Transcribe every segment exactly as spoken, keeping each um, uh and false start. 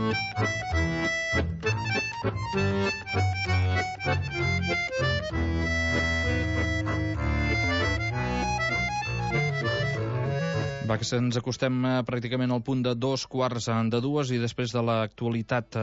Va, que ens acostem eh, pràcticament al punt de dos quarts de dues i després de l'actualitat eh,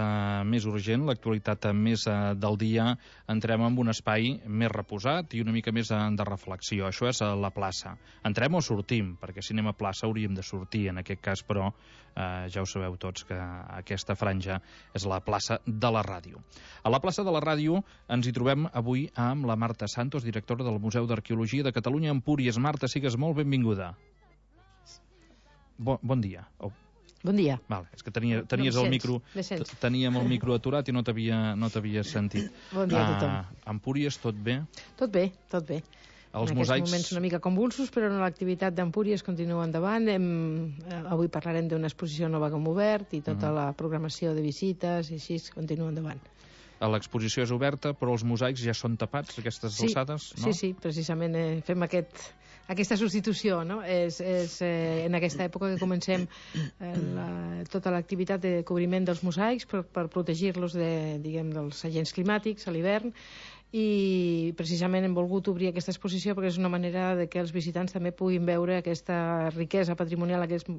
més urgent, l'actualitat eh, més eh, del dia, entrem en un espai més reposat i una mica més eh, de reflexió. Això és eh, la plaça. Entrem o sortim? Perquè si anem a plaça hauríem de sortir, en aquest cas, però eh, ja ho sabeu tots que aquesta franja és la plaça de la Ràdio. A la plaça de la Ràdio ens hi trobem avui amb la Marta Santos, directora del Museu d'Arqueologia de Catalunya a Empúries. Marta, sigues molt benvinguda. Bon, bon dia. Oh. Bon dia. Vale, és que tenia, tenies no el micro, teníem el micro aturat i no t'havia no t'havia sentit. Bon dia a tothom. Uh, Empúries, tot bé? Tot bé, tot bé. Els en mosaics... aquests moments una mica convulsos, però l'activitat d'Empúries continua endavant. Hem, eh, avui parlarem d'una exposició nova que hem obert i tota uh -huh. la programació de visites i així continua endavant. L'exposició és oberta, però els mosaics ja són tapats, aquestes sí, alçades, no? Sí, sí, precisament eh, fem aquest... Aquesta substitució, no? És, és eh, en aquesta època que comencem eh, la, tota l'activitat de cobriment dels mosaics per, per protegir-los de, diguem, dels agents climàtics a l'hivern, i precisament hem volgut obrir aquesta exposició perquè és una manera de que els visitants també puguin veure aquesta riquesa patrimonial, aquest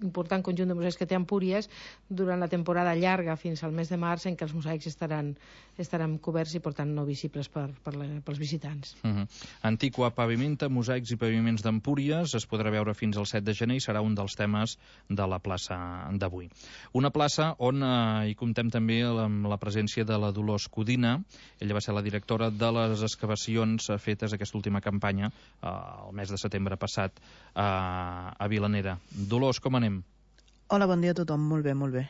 important conjunt de mosaics que té Empúries durant la temporada llarga fins al mes de març, en què els mosaics estaran, estaran coberts i per tant no visibles per, per la, pels visitants. Uh -huh. Antiqua pavimenta, mosaics i paviments d'Empúries, es podrà veure fins al set de gener i serà un dels temes de la plaça d'avui. Una plaça on eh, hi comptem també amb la presència de la Dolors Codina. Ella va ser la directora de les excavacions fetes aquesta última campanya eh, el mes de setembre passat eh, a Vilanera. Dolors, com anem? Hola, bon dia a tothom. Molt bé, molt bé.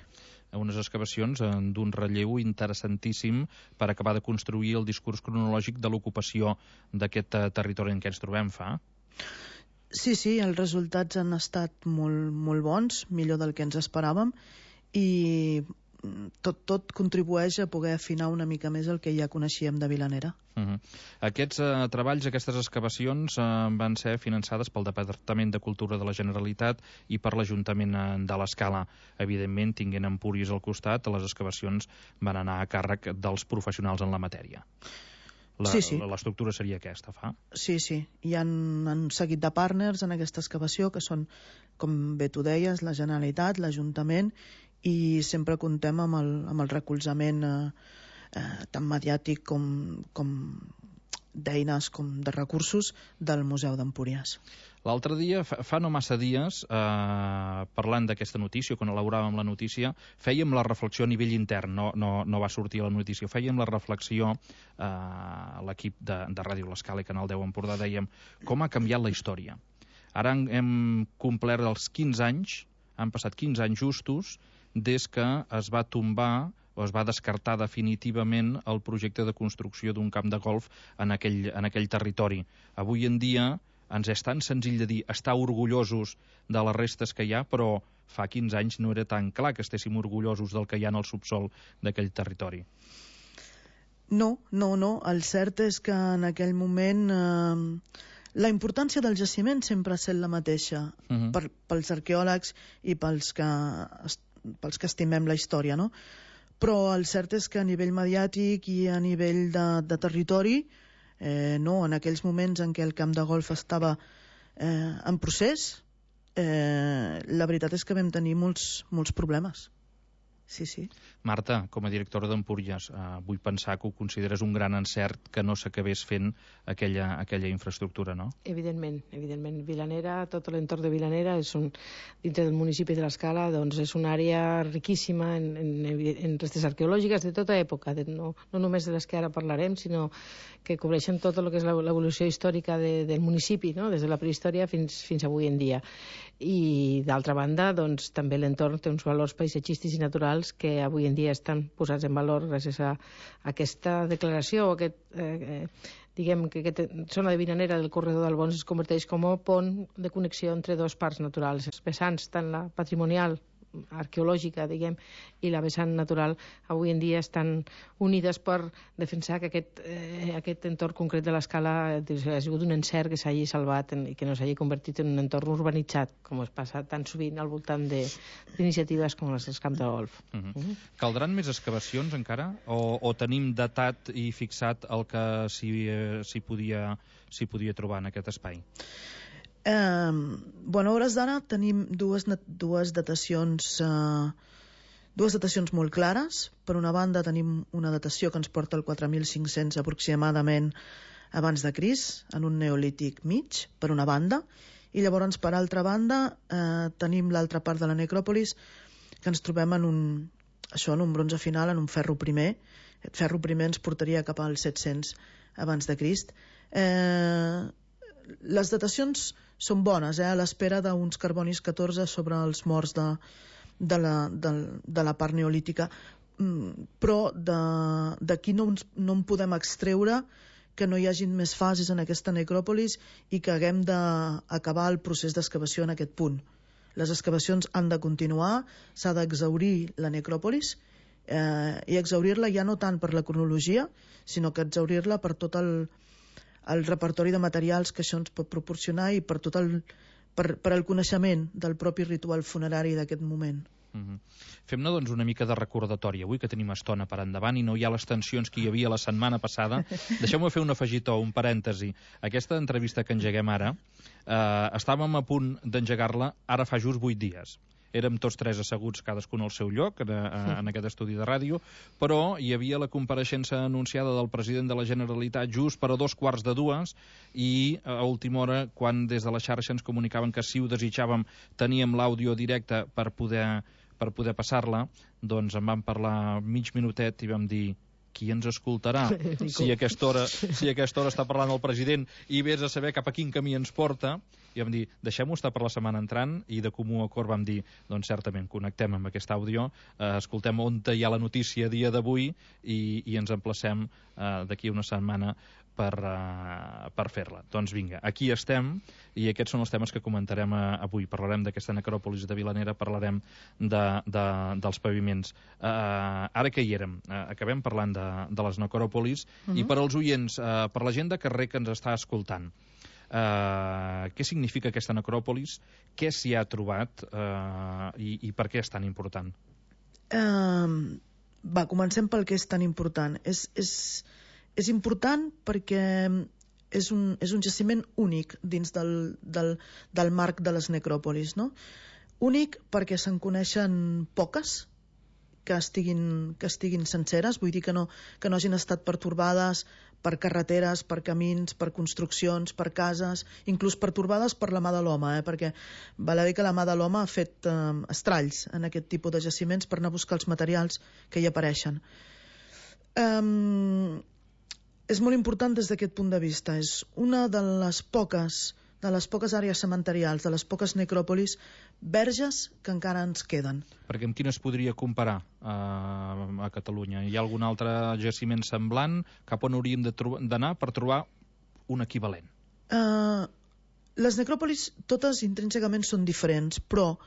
Unes excavacions eh, d'un relleu interessantíssim per acabar de construir el discurs cronològic de l'ocupació d'aquest eh, territori en què ens trobem fa. Sí, sí, els resultats han estat molt, molt bons, millor del que ens esperàvem, i tot, tot contribueix a poder afinar una mica més el que ja coneixíem de Vilanera. Uh -huh. Aquests eh, treballs, aquestes excavacions eh, van ser finançades pel Departament de Cultura de la Generalitat i per l'Ajuntament eh, de l'Escala. Evidentment, tinguent Empúries al costat, les excavacions van anar a càrrec dels professionals en la matèria. La, sí, sí. L'estructura seria aquesta, fa? Sí, sí. Hi ha un seguit de partners en aquesta excavació que són, com bé tu deies, la Generalitat, l'Ajuntament, i sempre comptem amb el, amb el recolzament eh, eh, tant mediàtic com, com d'eines com de recursos del Museu d'Empúries. L'altre dia, fa, fa no massa dies, eh, parlant d'aquesta notícia, quan elaboràvem la notícia, fèiem la reflexió a nivell intern, no, no, no va sortir la notícia, fèiem la reflexió eh, a l'equip de, de Ràdio L'Escala i Canal deu Empordà, dèiem com ha canviat la història. Ara hem complert els quinze anys, han passat quinze anys justos des que es va tombar o es va descartar definitivament el projecte de construcció d'un camp de golf en aquell, en aquell territori. Avui en dia ens és tan senzill de dir estar orgullosos de les restes que hi ha, però fa quinze anys no era tan clar que estéssim orgullosos del que hi ha en el subsol d'aquell territori. No, no, no. El cert és que en aquell moment eh, la importància del jaciment sempre ha estat la mateixa, uh -huh. per, pels arqueòlegs i pels que, pels que estimem la història, no? Però el cert és que a nivell mediàtic i a nivell de, de territori, eh, no, en aquells moments en què el camp de golf estava eh, en procés, eh, la veritat és que vam tenir molts, molts problemes. Sí, sí. Marta, com a directora d'Empúries, eh, vull pensar que ho consideres un gran encert que no s'acabés fent aquella, aquella infraestructura, no? Evidentment, evidentment. Vilanera, tot l'entorn de Vilanera, és un, dintre del municipi de l'Escala, doncs és una àrea riquíssima en, en, en restes arqueològiques de tota època, de, no, no només de les que ara parlarem, sinó que cobreixen tot el que és l'evolució històrica de, del municipi, no? Des de la prehistòria fins, fins avui en dia. I d'altra banda, doncs, també l'entorn té uns valors paisatgístics i naturals que avui en dia estan posats en valor gràcies a aquesta declaració, aquest, eh, eh, diguem que aquesta zona de Vilanera del corredor d'Albons es converteix com a pont de connexió entre dos parts naturals, els vessants, tant la patrimonial arqueològica, diguem, i la vessant natural avui en dia estan unides per defensar que aquest, eh, aquest entorn concret de l'Escala ha sigut un encert que s'hagi salvat en, i que no s'hagi convertit en un entorn urbanitzat, com es passa tan sovint al voltant d'iniciatives com les del camp de golf. Uh -huh. uh -huh. Caldran més excavacions encara? O, o tenim datat i fixat el que s'hi eh, podia, s'hi podia trobar en aquest espai? Eh, bueno, a hores d'ara tenim dues, dues datacions eh, dues datacions molt clares. Per una banda tenim una datació que ens porta al quatre mil cinc-cents aproximadament abans de Crist, en un neolític mig, per una banda, i llavors per altra banda eh, tenim l'altra part de la necròpolis que ens trobem en un, això, en un bronze final, en un ferro primer. El ferro primer ens portaria cap als set-cents abans de Crist. Eh, les datacions són bones, eh, a l'espera d'uns carbonis catorze sobre els morts de, de, la, de, de la part neolítica, mm, però d'aquí no, no en podem extreure que no hi hagin més fases en aquesta necròpolis i que haguem d'acabar el procés d'excavació en aquest punt. Les excavacions han de continuar, s'ha d'exhaurir la necròpolis eh, i exhaurir-la ja no tant per la cronologia, sinó que exhaurir-la per tot el el repertori de materials que això ens pot proporcionar i per tot el, per, per el coneixement del propi ritual funerari d'aquest moment. Uh-huh. Fem-ne doncs una mica de recordatori avui, que tenim estona per endavant i no hi ha les tensions que hi havia la setmana passada. Deixeu-me fer un afegitó, un parèntesi. Aquesta entrevista que engeguem ara, eh, estàvem a punt d'engegar-la ara fa just vuit dies. Érem tots tres asseguts, cadascun al seu lloc, en, en aquest estudi de ràdio, però hi havia la compareixença anunciada del president de la Generalitat just per a dos quarts de dues i a última hora, quan des de la xarxa ens comunicaven que si ho desitjàvem teníem l'àudio directe per poder, per poder passar-la, doncs en vam parlar mig minutet i vam dir qui ens escoltarà si a aquesta hora, si a aquesta hora està parlant el president i vés a saber cap a quin camí ens porta. I vam dir, deixem-ho estar per la setmana entrant, i de comú acord vam dir, doncs certament, connectem amb aquest àudio, eh, escoltem on hi ha la notícia a dia d'avui i, i ens emplacem eh, d'aquí una setmana per, uh, per fer-la. Doncs vinga, aquí estem, i aquests són els temes que comentarem uh, avui. Parlarem d'aquesta necròpolis de Vilanera, parlarem de, de, dels paviments. Uh, ara que hi érem, uh, acabem parlant de, de les necròpolis, uh -huh. i per als oients, uh, per la gent de carrer que ens està escoltant, Uh, què significa aquesta necròpolis, què s'hi ha trobat uh, i, i per què és tan important? Uh, va, comencem pel que és tan important. És, és, és important perquè és un, és un jaciment únic dins del, del, del marc de les necròpolis, no? Únic perquè se'n coneixen poques que estiguin, que estiguin senceres, vull dir que no, que no hagin estat pertorbades per carreteres, per camins, per construccions, per cases, inclús pertorbades per la mà de l'home, eh? Perquè val a dir que la mà de l'home ha fet eh, estralls en aquest tipus de jaciments per anar a buscar els materials que hi apareixen. Um, és molt important des d'aquest punt de vista. És una de les poques de les poques àrees cementerials, de les poques necròpolis verges que encara ens queden. Perquè amb quines podria comparar uh, a Catalunya? Hi ha algun altre jaciment semblant? Cap on hauríem d'anar per trobar un equivalent? Uh, les necròpolis totes intrínsecament són diferents, però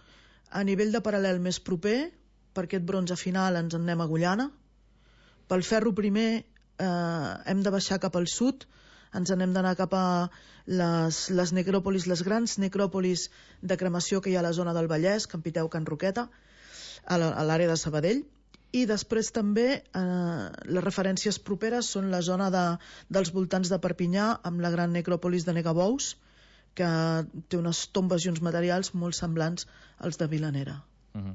a nivell de paral·lel més proper, per aquest bronze final ens en anem a Agullana. Pel ferro primer uh, hem de baixar cap al sud, ens n'hem d'anar cap a les, les necròpolis, les grans necròpolis de cremació que hi ha a la zona del Vallès, Can Piteu, Can Roqueta, a l'àrea de Sabadell, i després també eh, les referències properes són la zona de, dels voltants de Perpinyà, amb la gran necròpolis de Negabous, que té unes tombes i uns materials molt semblants als de Vilanera. Uh-huh.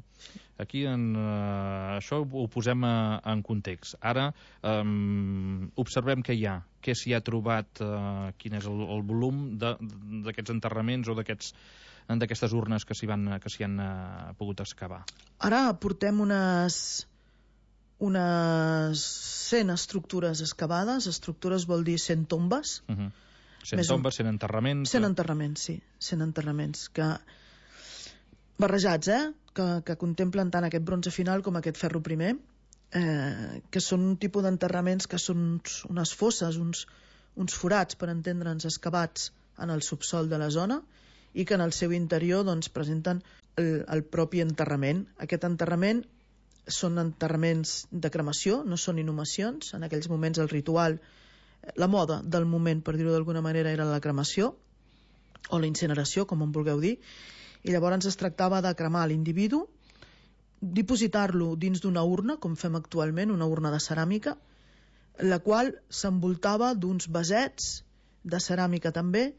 Aquí en, uh, això ho posem uh, en context. Ara um, observem què hi ha, què s'hi ha trobat, uh, quin és el, el volum d'aquests enterraments o d'aquestes urnes que s'hi han uh, pogut excavar. Ara portem unes unes cent estructures excavades. Estructures vol dir cent tombes. Uh-huh. cent Més tombes, cent enterraments. cent enterraments, sí, cent enterraments que barrejats, eh? Que, que contemplen tant aquest bronze final com aquest ferro primer, eh, que són un tipus d'enterraments que són uns, unes fosses, uns, uns forats, per entendre'ns, excavats en el subsol de la zona, i que en el seu interior doncs, presenten el, el propi enterrament. Aquest enterrament són enterraments de cremació, no són inhumacions. En aquells moments el ritual, la moda del moment, per dir-ho d'alguna manera, era la cremació o la incineració, com en vulgueu dir, i llavors es tractava de cremar l'individu, dipositar-lo dins d'una urna, com fem actualment, una urna de ceràmica, la qual s'envoltava d'uns vasets de ceràmica també,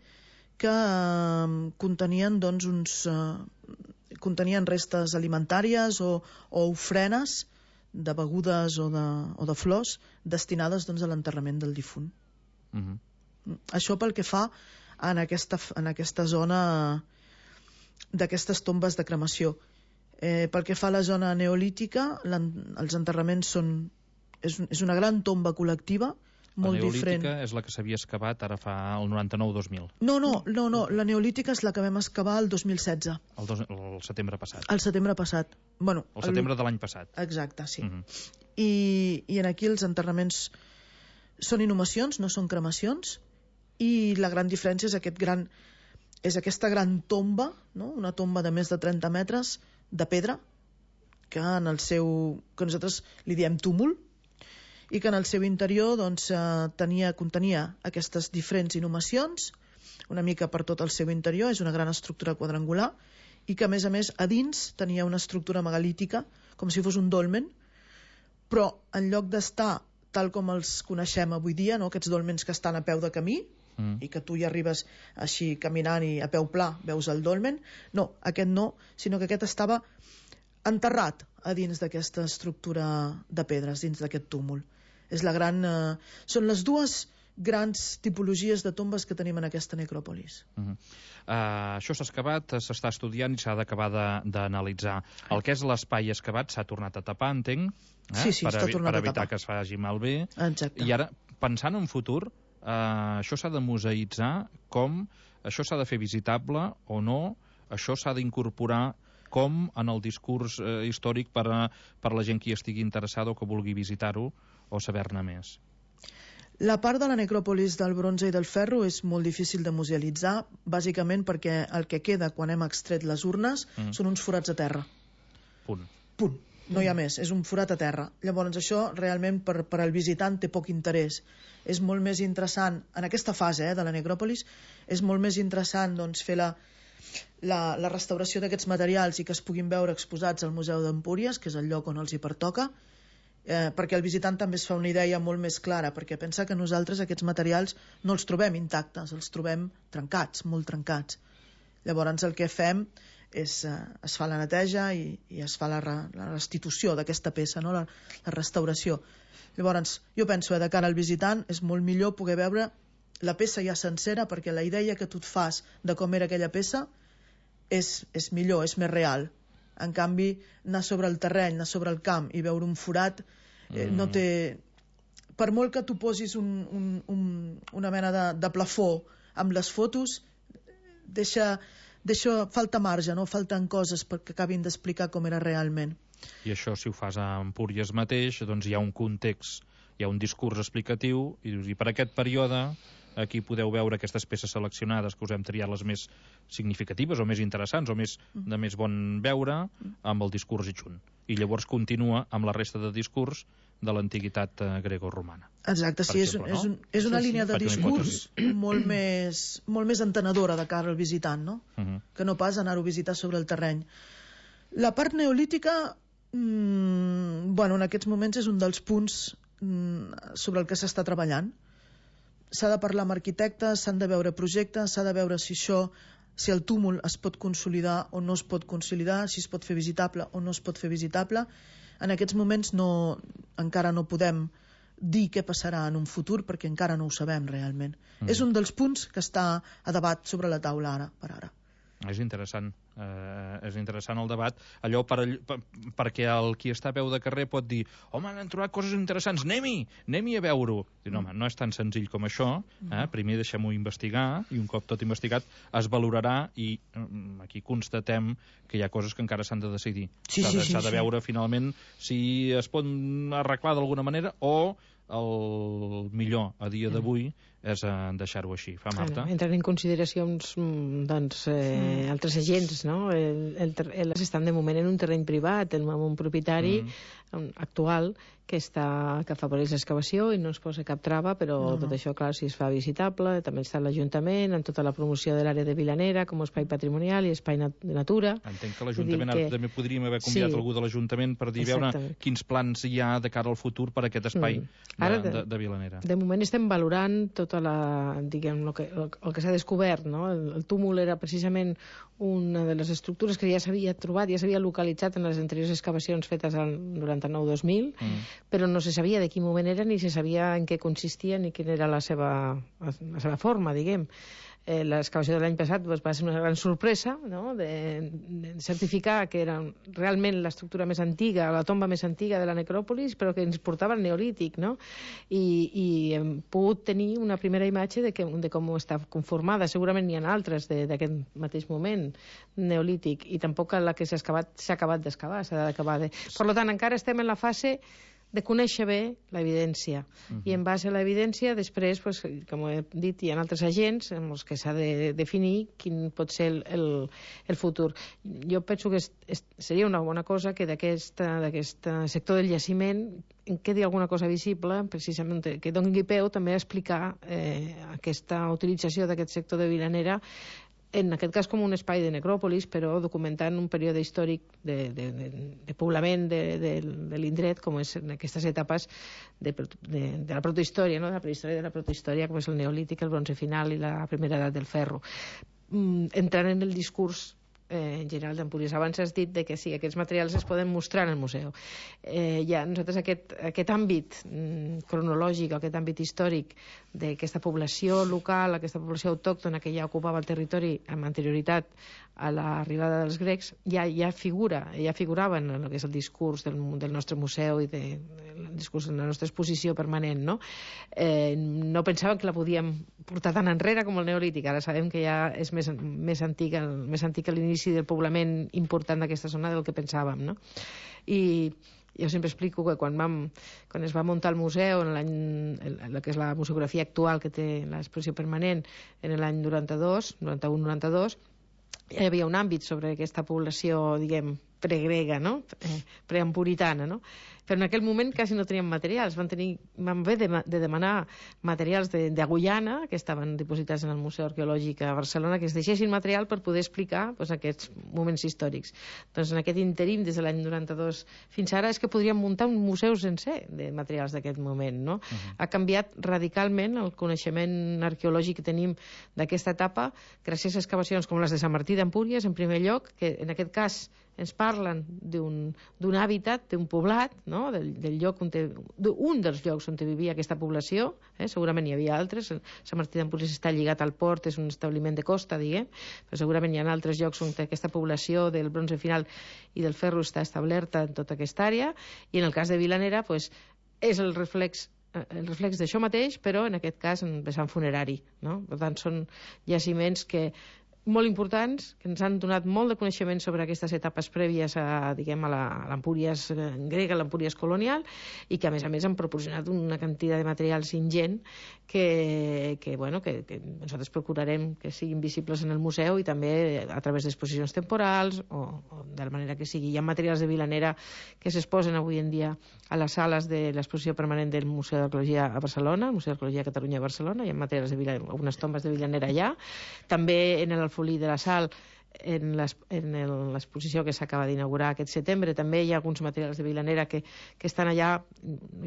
que eh, contenien doncs uns... Eh, contenien restes alimentàries o, o ofrenes de begudes o de, o de flors destinades doncs, a l'enterrament del difunt. Uh-huh. Això pel que fa en aquesta, en aquesta zona d'aquestes tombes de cremació. Eh, pel que fa a la zona neolítica, els enterraments són... És, és una gran tomba col·lectiva, molt diferent. La neolítica és la que s'havia excavat ara fa el noranta-nou dos mil. No, no, no, no, la neolítica és la que vam excavar el dos mil setze. El, dos, el setembre passat. El setembre passat. Bueno, el setembre el... de l'any passat. Exacte, sí. Uh-huh. I, I en aquí els enterraments són inhumacions, no són cremacions, i la gran diferència és aquest gran... és aquesta gran tomba, no? Una tomba de més de trenta metres de pedra, que en el seu... que nosaltres li diem túmul, i que en el seu interior doncs, eh, tenia, contenia aquestes diferents inhumacions, una mica per tot el seu interior, és una gran estructura quadrangular, i que a més a més a dins tenia una estructura megalítica, com si fos un dolmen, però en lloc d'estar tal com els coneixem avui dia, no? Aquests dolmens que estan a peu de camí, mm. i que tu hi arribes així caminant i a peu pla veus el dolmen, no, aquest no, sinó que aquest estava enterrat a dins d'aquesta estructura de pedres, dins d'aquest túmul. És la gran, eh, són les dues grans tipologies de tombes que tenim en aquesta necròpolis. Uh-huh. uh, això s'ha excavat, s'està estudiant i s'ha d'acabar d'analitzar. El que és l'espai excavat s'ha tornat a tapar, entenc, eh? sí, sí, per, està tornat per a evitar tapar. que es faci malbé. Exacte. I ara, pensant en futur, uh, això s'ha de museïtzar, com això s'ha de fer visitable o no, això s'ha d'incorporar com en el discurs eh, històric per a, per a la gent que hi estigui interessada o que vulgui visitar-ho o saber-ne més. La part de la necròpolis del bronze i del ferro és molt difícil de musealitzar, bàsicament perquè el que queda quan hem extret les urnes mm. són uns forats a terra. Punt. Punt. No hi ha més, és un forat a terra. Llavors això realment per, per al visitant té poc interès. És molt més interessant, en aquesta fase eh, de la necròpolis, és molt més interessant doncs, fer la, la, la restauració d'aquests materials i que es puguin veure exposats al Museu d'Empúries, que és el lloc on els hi pertoca, eh, perquè el visitant també es fa una idea molt més clara, perquè pensa que nosaltres aquests materials no els trobem intactes, els trobem trencats, molt trencats. Llavors el que fem és, eh, es fa la neteja i, i es fa la, re, la restitució d'aquesta peça, no? la, la restauració. Llavors jo penso que de cara al visitant és molt millor poder veure la peça ja sencera, perquè la idea que tu et fas de com era aquella peça és, és millor, és més real. En canvi, anar sobre el terreny, anar sobre el camp i veure un forat eh, mm. no té... Per molt que tu posis un, un, un, una mena de, de plafó amb les fotos, deixa, deixa, falta marge, no? Falten coses perquè acabin d'explicar com era realment. I això, si ho fas a Empúries mateix, doncs hi ha un context, hi ha un discurs explicatiu, i dius, i per aquest període aquí podeu veure aquestes peces seleccionades que us hem triat les més significatives o més interessants o més, de més bon veure amb el discurs adjunt. I llavors continua amb la resta de discurs de l'antiguitat eh, greco-romana. Exacte, sí, exemple, és, un, no? és, un, és una sí, línia sí, de discurs molt més, molt més entenedora de cara al visitant, no? Uh-huh. Que no pas anar-ho a visitar sobre el terreny. La part neolítica, mmm, bueno, en aquests moments és un dels punts mmm, sobre el que s'està treballant. S'ha de parlar amb arquitectes, s'han de veure projectes, s'ha de veure si això, si el túmul es pot consolidar o no es pot consolidar, si es pot fer visitable o no es pot fer visitable. En aquests moments no, encara no podem dir què passarà en un futur perquè encara no ho sabem realment. Mm. És un dels punts que està a debat sobre la taula ara, per ara. És interessant, eh, és interessant el debat, allò per, per, perquè el qui està a peu de carrer pot dir, home, han trobat coses interessants, anem-hi, anem-hi a veure-ho. Diu, no, home, no és tan senzill com això, eh? Primer deixem-ho investigar, i un cop tot investigat es valorarà, i aquí constatem que hi ha coses que encara s'han de decidir. Sí, s'ha sí, de, sí, s'ha de veure sí. finalment si es pot arreglar d'alguna manera o el millor a dia d'avui és eh, deixar-ho així. Fa, Marta? Bueno, entren en consideracions doncs, eh, mm. altres agents, no? El, el, el, estan de moment en un terreny privat, amb un propietari mm. actual que, està, que afavoreix l'excavació i no es posa cap trava, però no, tot no. això, clar, si es fa visitable, també està l'Ajuntament, amb tota la promoció de l'àrea de Vilanera com a espai patrimonial i espai nat de natura. Entenc que l'Ajuntament, que... també podríem haver convidat sí. algú de l'Ajuntament per dir, veure quins plans hi ha de cara al futur per a aquest espai mm. Ara, de, de, de Vilanera. De moment estem valorant tota la, diguem, el que, el, el que s'ha descobert, no? El, el túmul era precisament una de les estructures que ja s'havia trobat, ja s'havia localitzat en les anteriors excavacions fetes al noranta-nou dos mil, mm. però no se sabia de quin moment era, ni se sabia en què consistia, ni quina era la seva, la seva forma, diguem. Eh, l'excavació de l'any passat doncs, va ser una gran sorpresa, no? de, de certificar que era realment l'estructura més antiga, la tomba més antiga de la necròpolis, però que ens portava al neolític, no? I, i hem pogut tenir una primera imatge de, que, de com està conformada. Segurament n'hi ha altres d'aquest mateix moment neolític, i tampoc la que s'ha acabat d'excavar, s'ha d'acabar de... Per tant, encara estem en la fase de conèixer bé l'evidència. Uh-huh. I en base a l'evidència, després, pues, com he dit, hi ha altres agents amb els que s'ha de definir quin pot ser el, el, el futur. Jo penso que és, és, seria una bona cosa que d'aquest sector del jaciment en quedi alguna cosa visible, precisament que doni peu també a explicar eh, aquesta utilització d'aquest sector de Vilanera, en aquest cas com un espai de necròpolis, però documentant un període històric de, de, de, de poblament de, de, de l'indret, com és en aquestes etapes de, de, de la protohistòria, no? de la prehistòria de la protohistòria, com és el neolític, el bronze final i la primera edat del ferro. Mm, entrant en el discurs Eh, en general d'Empúries. Abans has dit de que sí, aquests materials es poden mostrar en el museu. Eh, ja, nosaltres aquest, aquest àmbit mm, cronològic, aquest àmbit històric d'aquesta població local, aquesta població autòctona que ja ocupava el territori amb anterioritat a l'arribada dels grecs, ja, ja figura, ja figurava en el que és el discurs del, del nostre museu i de, el discurs de la nostra exposició permanent, no? Eh, no pensàvem que la podíem portar tan enrere com el neolític. Ara sabem que ja és més, més antic, més antic a l'inici del poblament important d'aquesta zona del que pensàvem, no? I jo sempre explico que quan, vam, quan es va muntar el museu, en l'any, el que és la museografia actual que té l'exposició permanent, en l'any noranta-dos, noranta-u noranta-dos, hi havia un àmbit sobre aquesta població, diguem, pregrega, no? Eh, preampuritana, no? Però en aquell moment quasi no teníem materials. Van, tenir, van haver de, de demanar materials de, de Guyana, que estaven dipositats en el Museu Arqueològic a Barcelona, que es deixessin material per poder explicar pues, aquests moments històrics. Doncs en aquest interim, des de l'any noranta-dos fins ara, és que podríem muntar un museu sencer de materials d'aquest moment, no? Uh-huh. Ha canviat radicalment el coneixement arqueològic que tenim d'aquesta etapa, gràcies a excavacions com les de Sant Martí d'Empúries, en primer lloc, que en aquest cas ens parlen d'un hàbitat, d'un poblat, no? del, del lloc on te, un dels llocs on vivia aquesta població, eh? Segurament hi havia altres, Sant Martí d'Empúries està lligat al port, és un establiment de costa, diguem, però segurament hi ha altres llocs on aquesta població del bronze final i del ferro està establerta en tota aquesta àrea, i en el cas de Vilanera pues, és el reflex el reflex d'això mateix, però en aquest cas en vessant funerari, no? Per tant, són jaciments que molt importants, que ens han donat molt de coneixement sobre aquestes etapes prèvies a, diguem, a l'Empúries grega, a l'Empúries colonial, i que a més a més han proporcionat una quantitat de materials ingent que, que, bueno, que, que nosaltres procurarem que siguin visibles en el museu i també a través d'exposicions temporals o, o de la manera que sigui. Hi ha materials de Vilanera que s'exposen avui en dia a les sales de l'exposició permanent del Museu d'Arqueologia a Barcelona, el Museu d'Arqueologia de Catalunya a Barcelona. Hi ha materials de Vilanera, algunes tombes de Vilanera allà. També en el Folí de la Sal, en l'exposició que s'acaba d'inaugurar aquest setembre, també hi ha alguns materials de Vilanera que, que estan allà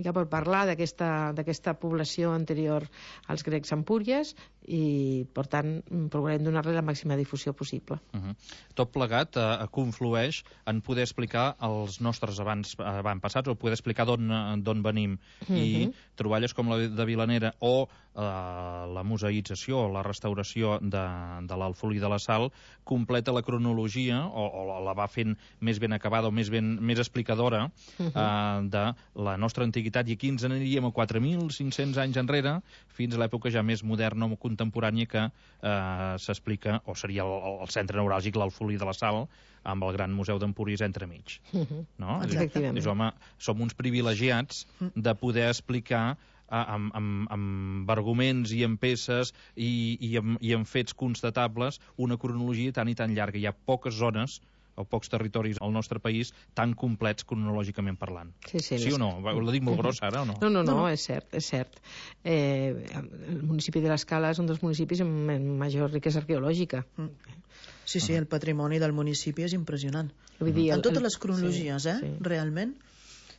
ja per parlar d'aquesta població anterior als grecs Empúries, i per tant procurem donar-li la màxima difusió possible. Uh-huh. Tot plegat eh, conflueix en poder explicar els nostres abans, avantpassats, o poder explicar d'on venim. Uh-huh. I troballes com la de Vilanera o eh, la museïtzació o la restauració de, de l'Alfolí de la Sal completa la cronologia o, o la va fent més ben acabada o més, ben, més explicadora uh-huh. eh, de la nostra antiguitat, i aquí ens aniríem a quatre mil cinc-cents anys enrere fins a l'època ja més moderna o contemporània que eh, s'explica, o seria el, el centre neuràlgic, l'Alfolí de la Sal, amb el Gran Museu d'Empúries entremig. Uh-huh. No? Efectivament. Dius, home, som uns privilegiats de poder explicar amb, amb, amb arguments i amb peces i, i, amb, i amb fets constatables una cronologia tan i tan llarga. Hi ha poques zones o pocs territoris al nostre país tan complets cronològicament parlant. Sí, sí, sí o no? Ho dic molt gros ara o no? No, no, no, és cert, és cert. Eh, el municipi de l'Escala és un dels municipis amb major riquesa arqueològica. Mm. Sí, sí, el patrimoni del municipi és impressionant. Vull dir, el, en totes el, les cronologies, sí, eh? sí. Realment.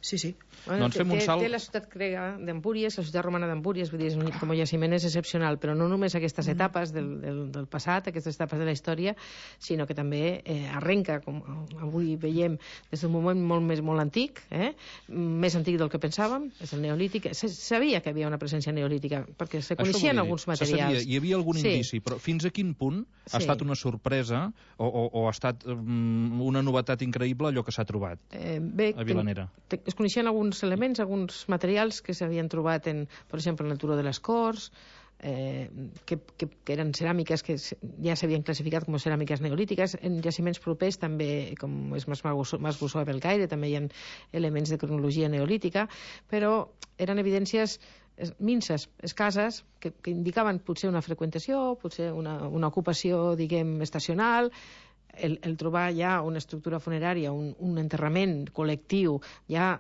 Sí, sí. Bueno, doncs fem un té, salt... té la ciutat grega d'Empúries, la ciutat romana d'Empúries, vull dir, com a jaciment és excepcional, però no només aquestes etapes del, del, del passat, aquestes etapes de la història, sinó que també eh, arrenca, com avui veiem, des d'un moment molt més molt antic, eh? més antic del que pensàvem, és el neolític. Se sabia que havia una presència neolítica, perquè se coneixien alguns materials. Se sabia, hi havia algun sí. indici, però fins a quin punt ha sí. estat una sorpresa o, o, o ha estat um, una novetat increïble allò que s'ha trobat eh, bé, a Vilanera? Ten, ten, es coneixien alguns elements, alguns materials que s'havien trobat en, per exemple, en el turó de les Corts, eh, que, que, que eren ceràmiques que ja s'havien classificat com a ceràmiques neolítiques. En jaciments propers també, com és Mas Bussó a Belcaire, també hi ha elements de cronologia neolítica, però eren evidències minces, escasses, que, que indicaven potser una freqüentació, potser una, una ocupació, diguem, estacional. El, el trobar ja una estructura funerària, un, un enterrament col·lectiu, ja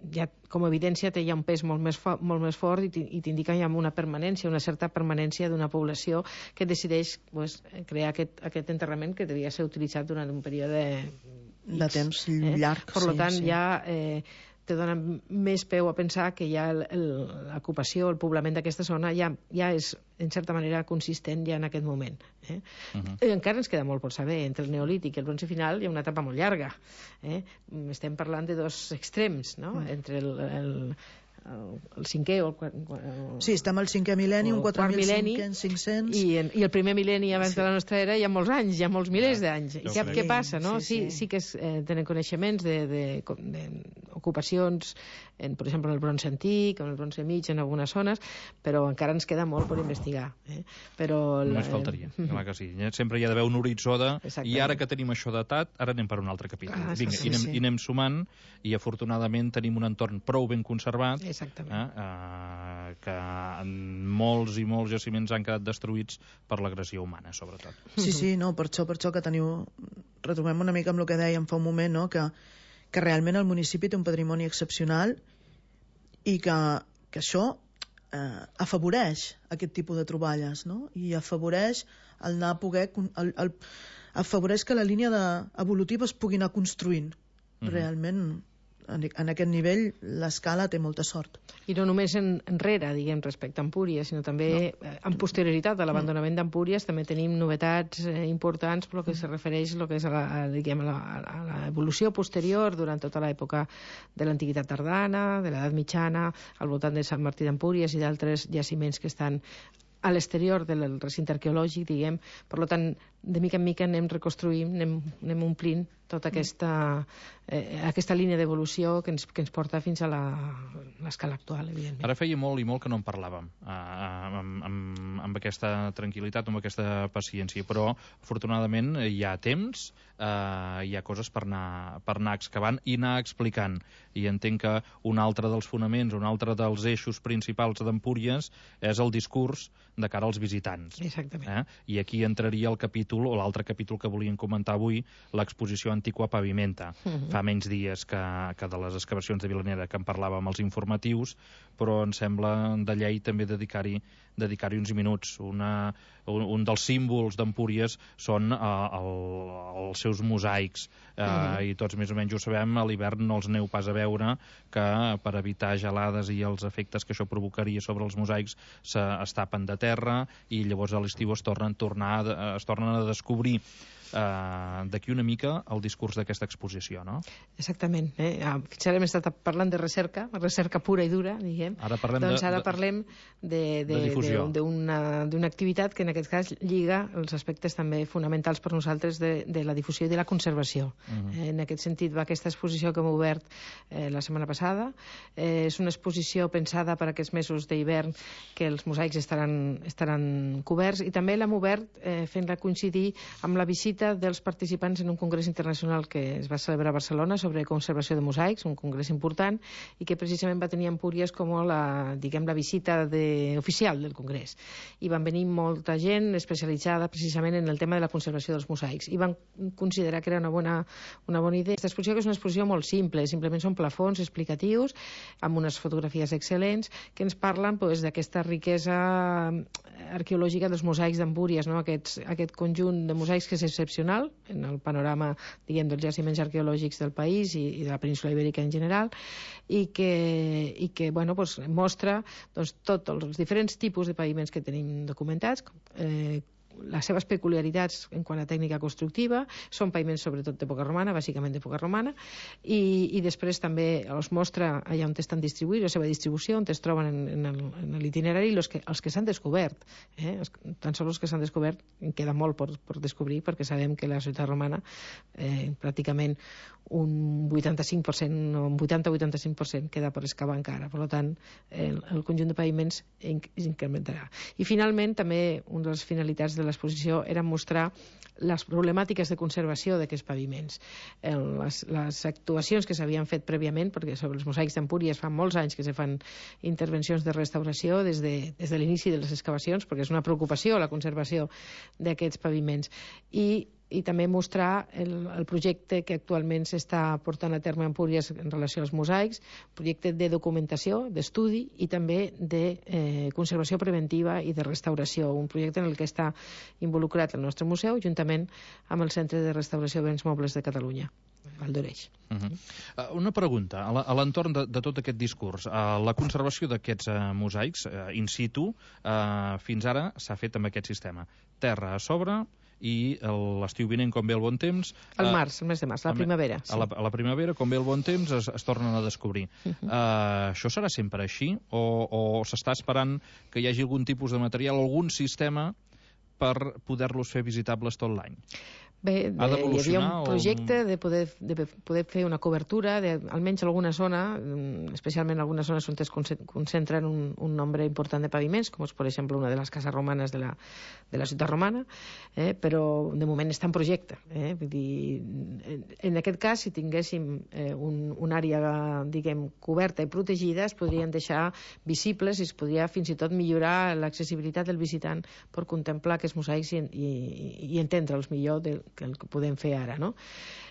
ja com a evidència té ja un pes molt més, fo molt més fort i t'indica ja una permanència, una certa permanència d'una població que decideix pues, crear aquest, aquest enterrament que devia ser utilitzat durant un període X, de temps llarg. Eh? Per sí, tant, sí. ja eh, te dona més peu a pensar que ja l'ocupació, el poblament d'aquesta zona ja, ja és, en certa manera, consistent ja en aquest moment. Eh? Uh -huh. I encara ens queda molt per saber. Entre el neolític i el bronze final hi ha una etapa molt llarga. Eh? Estem parlant de dos extrems, no? Uh -huh. Entre el, el, el, el cinquè o el, el... Sí, estem al cinquè mil·lenni, un quatre mil cinc-cents... I, en, I el primer mil·lenni abans sí. de la nostra era hi ha molts anys, hi ha molts milers ja, d'anys. I ja què, què passa, no? Sí, sí. Sí, sí que es, eh, tenen coneixements de, de, de ocupacions, en, per exemple, en el bronze antic, en el bronze mig, en algunes zones, però encara ens queda molt per investigar. Eh? Però Només faltaria, eh... clar que sí. Sempre hi ha d'haver un horitzó de... I ara que tenim això datat, ara anem per un altre capítol. Ah, Vinga, sí, i, anem, sí. i anem sumant, i afortunadament tenim un entorn prou ben conservat, exactament. Eh? Uh, que molts i molts jaciments han quedat destruïts per l'agressió humana, sobretot. Sí, sí, no, per això, per això que teniu... Retrobem una mica amb el que dèiem fa un moment, no?, que, que realment el municipi té un patrimoni excepcional i que, que això eh, afavoreix aquest tipus de troballes, no?, i afavoreix el anar a poder... El, el, afavoreix que la línia de, evolutiva es pugui anar construint. Mm-hmm. Realment, en, en aquest nivell, l'Escala té molta sort. I no només en, enrere, diguem, respecte a Empúries, sinó també no. en posterioritat a l'abandonament d'Empúries també tenim novetats eh, importants pel que se refereix lo que és a la, a, diguem, a, la, a l'evolució posterior durant tota l'època de l'Antiguitat tardana, de l'Edat Mitjana, al voltant de Sant Martí d'Empúries i d'altres jaciments que estan a l'exterior del recinte arqueològic, diguem. Per tant, de mica en mica anem reconstruint, anem, anem omplint tota aquesta, eh, aquesta línia d'evolució que ens, que ens porta fins a l'escala actual, evidentment. Ara feia molt i molt que no en parlàvem, eh, amb, amb, amb aquesta tranquil·litat, amb aquesta paciència, però afortunadament hi ha temps, eh, hi ha coses per anar, per anar excavant i anar explicant. I entenc que un altre dels fonaments, un altre dels eixos principals d'Empúries és el discurs de cara als visitants. Exactament. Eh? I aquí entraria el capítol, o l'altre capítol que volíem comentar avui, l'exposició Antiqua Pavimenta. Uh -huh. Fa menys dies que, que de les excavacions de Vilanera, que en parlàvem als informatius, però em sembla de llei també dedicar-hi dedicar-hi uns minuts. Una, un, un dels símbols d'Empúries són uh, el, els seus mosaics, uh, uh -huh. i tots més o menys ho sabem, a l'hivern no els aneu pas a veure, que per evitar gelades i els efectes que això provocaria sobre els mosaics se, es tapen de terra i llavors a l'estiu es tornen, tornar, es tornen a descobrir. Uh, d'aquí una mica el discurs d'aquesta exposició, no? Exactament. Eh? Fins ara hem estat parlant de recerca, recerca pura i dura, diguem. Ara parlem doncs de, ara de, parlem de, de, de difusió. D'una activitat que en aquest cas lliga els aspectes també fonamentals per nosaltres de, de la difusió i de la conservació. Uh-huh. eh, en aquest sentit va aquesta exposició que hem obert eh, la setmana passada. Eh, és una exposició pensada per aquests mesos d'hivern que els mosaics estaran, estaran coberts, i també l'hem obert eh, fent-la coincidir amb la visita visita dels participants en un congrés internacional que es va celebrar a Barcelona sobre conservació de mosaics, un congrés important, i que precisament va tenir Empúries com la, diguem, la visita de, oficial del congrés. I van venir molta gent especialitzada precisament en el tema de la conservació dels mosaics i van considerar que era una bona, una bona idea. Aquesta exposició, que és una exposició molt simple, simplement són plafons explicatius amb unes fotografies excel·lents que ens parlen pues, d'aquesta riquesa arqueològica dels mosaics d'Empúries, no? Aquests, aquest conjunt de mosaics que és excepcional en el panorama, diguem, dels jaciments arqueològics del país i, i de la península ibèrica en general, i que, i que bueno, pues, mostra doncs, tots els diferents tipus de paviments que tenim documentats, eh, les seves peculiaritats en quant a tècnica constructiva, són paviments sobretot d'època romana, bàsicament d'època romana, i, i després també els mostra allà on estan distribuïts, la seva distribució, on es troben en, en l'itinerari, els que, els que s'han descobert. Eh? Tan sols els que s'han descobert, queda molt per, per descobrir, perquè sabem que la ciutat romana eh, pràcticament un vuitanta-cinc per cent, un vuitanta a vuitanta-cinc per cent queda per excavar encara. Per tant, el, el conjunt de paviments incrementarà. I finalment, també una de les finalitats de l'exposició era mostrar les problemàtiques de conservació d'aquests paviments. Les, les actuacions que s'havien fet prèviament, perquè sobre els mosaics d'Empúries fa molts anys que se fan intervencions de restauració des de, des de l'inici de les excavacions, perquè és una preocupació la conservació d'aquests paviments. I i també mostrar el, el projecte que actualment s'està portant a terme a Empúries en relació als mosaics, projecte de documentació, d'estudi i també de eh, conservació preventiva i de restauració, un projecte en el que està involucrat el nostre museu juntament amb el Centre de Restauració de Béns Mobles de Catalunya, Val d'Oreix. Uh -huh. uh, una pregunta, a l'entorn de, de tot aquest discurs, uh, la conservació d'aquests uh, mosaics uh, in situ uh, fins ara s'ha fet amb aquest sistema, terra a sobre i l'estiu vinent, com ve el bon temps... El març, el mes de març, a la primavera. Sí. A, la, a la primavera, com ve el bon temps, es, es tornen a descobrir. Uh -huh. uh, això serà sempre així? O, o s'està esperant que hi hagi algun tipus de material, algun sistema per poder-los fer visitables tot l'any? Bé, de, hi havia un projecte o... de, poder, de poder fer una cobertura de, almenys alguna zona, especialment algunes zones on es concentren un, un nombre important de paviments, com és, per exemple, una de les cases romanes de la, de la ciutat romana, eh, però de moment està en projecte. Eh? Vull dir, en, en aquest cas, si tinguéssim eh, un, una àrea, diguem, coberta i protegida, es podrien deixar visibles i es podria fins i tot millorar l'accessibilitat del visitant per contemplar aquests mosaics i, i, i entendre'ls millor del que el que podem fer ara, no?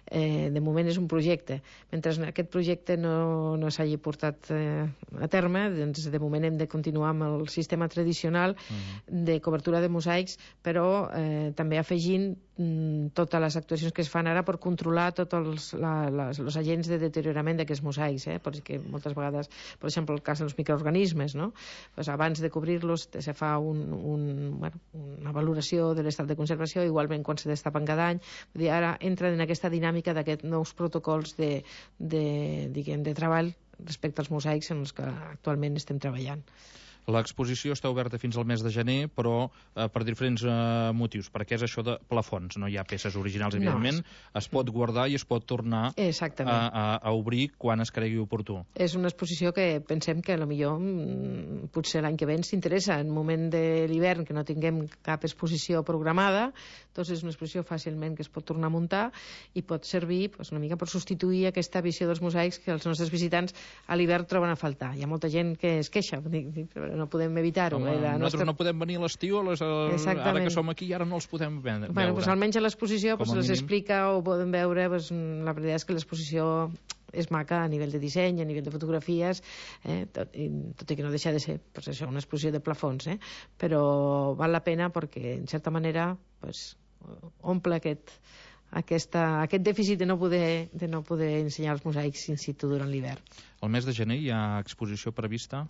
Eh, de moment és un projecte. Mentre aquest projecte no, no s'hagi portat eh, a terme, doncs de moment hem de continuar amb el sistema tradicional mm. de cobertura de mosaics, però eh, també afegint mm, totes les actuacions que es fan ara per controlar tots els la, les, els agents de deteriorament d'aquests mosaics, eh? Perquè moltes vegades, per exemple, el cas dels microorganismes, no? Pues abans de cobrir-los se fa un, un, bueno, una valoració de l'estat de conservació, igualment quan se destapen cada any. Vull dir, ara entren en aquesta dinàmica d'aquests nous protocols de, de, diguem, de treball respecte als mosaics en els que actualment estem treballant. L'exposició està oberta fins al mes de gener, però eh, per diferents eh, motius, perquè és això de plafons, no hi ha peces originals, evidentment, no. Es pot guardar i es pot tornar a, a, a obrir quan es cregui oportú. És una exposició que pensem que potser potser l'any que ve ens interessa, en moment de l'hivern que no tinguem cap exposició programada, doncs és una exposició fàcilment que es pot tornar a muntar i pot servir pues, una mica per substituir aquesta visió dels mosaics que els nostres visitants a l'hivern troben a faltar. Hi ha molta gent que es queixa, però no podem evitar-ho. Eh? Nosaltres nostra... no podem venir a l'estiu, ara que som aquí, ara no els podem veure. Bueno, pues, almenys a l'exposició pues, les explica o poden veure, pues, la veritat és que l'exposició és maca a nivell de disseny, a nivell de fotografies, eh, tot, i, tot i que no deixa de ser pues, això, una exposició de plafons, eh? Però val la pena perquè, en certa manera, pues, omple aquest, aquesta, aquest dèficit de no, poder, de no poder ensenyar els mosaics in situ durant l'hivern. El mes de gener hi ha exposició prevista?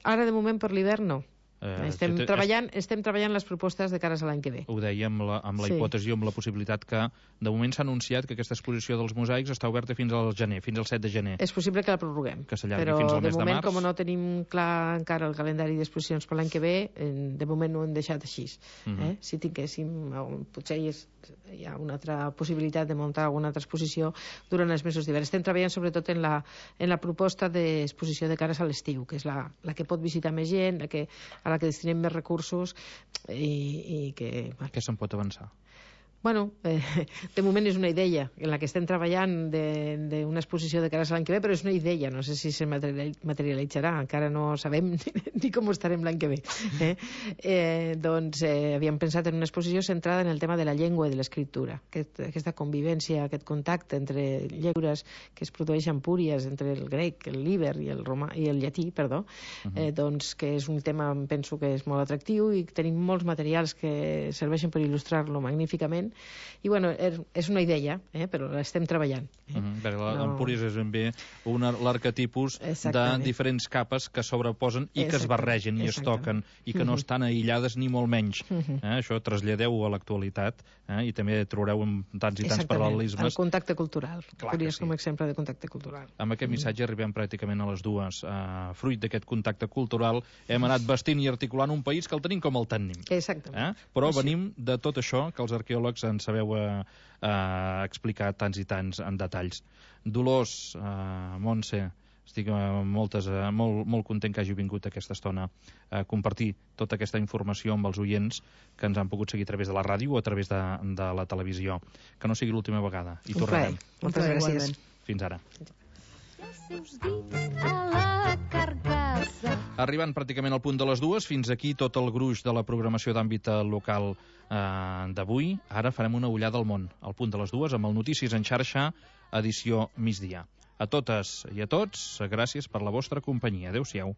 Ara, de moment, per l'hivern, no. Eh, estem, te, treballant, estem treballant les propostes de cares a l'any que ve. Ho deia amb la, amb la sí. hipòtesi, amb la possibilitat que de moment s'ha anunciat que aquesta exposició dels mosaics està oberta fins al gener, fins al set de gener. És possible que la prorroguem, que però fins al mes de moment, de març. Com no tenim clar encara el calendari d'exposicions per l'any que ve, de moment no ho hem deixat així. Uh -huh. eh? Si tinguéssim, potser hi, és, hi ha una altra possibilitat de muntar alguna altra exposició durant els mesos d'hivern. Estem treballant sobretot en la, en la proposta d'exposició de cares a l'estiu, que és la, la que pot visitar més gent, la que, a la que destinem més recursos i, i que... Què se'n pot avançar? Bueno, eh, de moment és una idea en la que estem treballant d'una exposició de cara a l'any que ve, però és una idea, no sé si se materialitzarà, encara no sabem ni com estarem l'any que ve. Eh? Eh, doncs eh, havíem pensat en una exposició centrada en el tema de la llengua i de l'escriptura, aquest, aquesta convivència, aquest contacte entre llengües que es produeix en Empúries, entre el grec, el líber i el, romà, i el llatí, perdó, uh -huh. eh, doncs que és un tema, penso que és molt atractiu i tenim molts materials que serveixen per il·lustrar-lo magníficament. I bueno, és una idea, eh? Però l'estem treballant. Eh? Uh -huh. L'Empúries no... és ben bé l'arquetipus de diferents capes que sobreposen i que es barregen i es toquen i que uh -huh. no estan aïllades ni molt menys. Uh -huh. eh? Això traslladeu a l'actualitat eh? I també trobareu en tants i tants paral·lelismes. El contacte cultural. Empúries sí. Com a exemple de contacte cultural. Amb aquest missatge arribem pràcticament a les dues. Uh, fruit d'aquest contacte cultural hem anat vestint i articulant un país que el tenim com el tenim. Exactament. Eh? Però sí. Venim de tot això que els arqueòlegs en sabeu eh, eh, explicar tants i tants en detalls. Dolors, eh, Montse, estic eh, moltes, eh, molt, molt content que hagi vingut aquesta estona a compartir tota aquesta informació amb els oients que ens han pogut seguir a través de la ràdio o a través de, de la televisió. Que no sigui l'última vegada. I tornarem. Moltes gràcies. Fins ara. Seus dits a la carcassa. Arribant pràcticament al punt de les dues, fins aquí tot el gruix de la programació d'àmbit local eh, d'avui. Ara farem una ullada al món, al punt de les dues, amb el Notícies en xarxa, edició migdia. A totes i a tots, gràcies per la vostra companyia. Adéu-siau.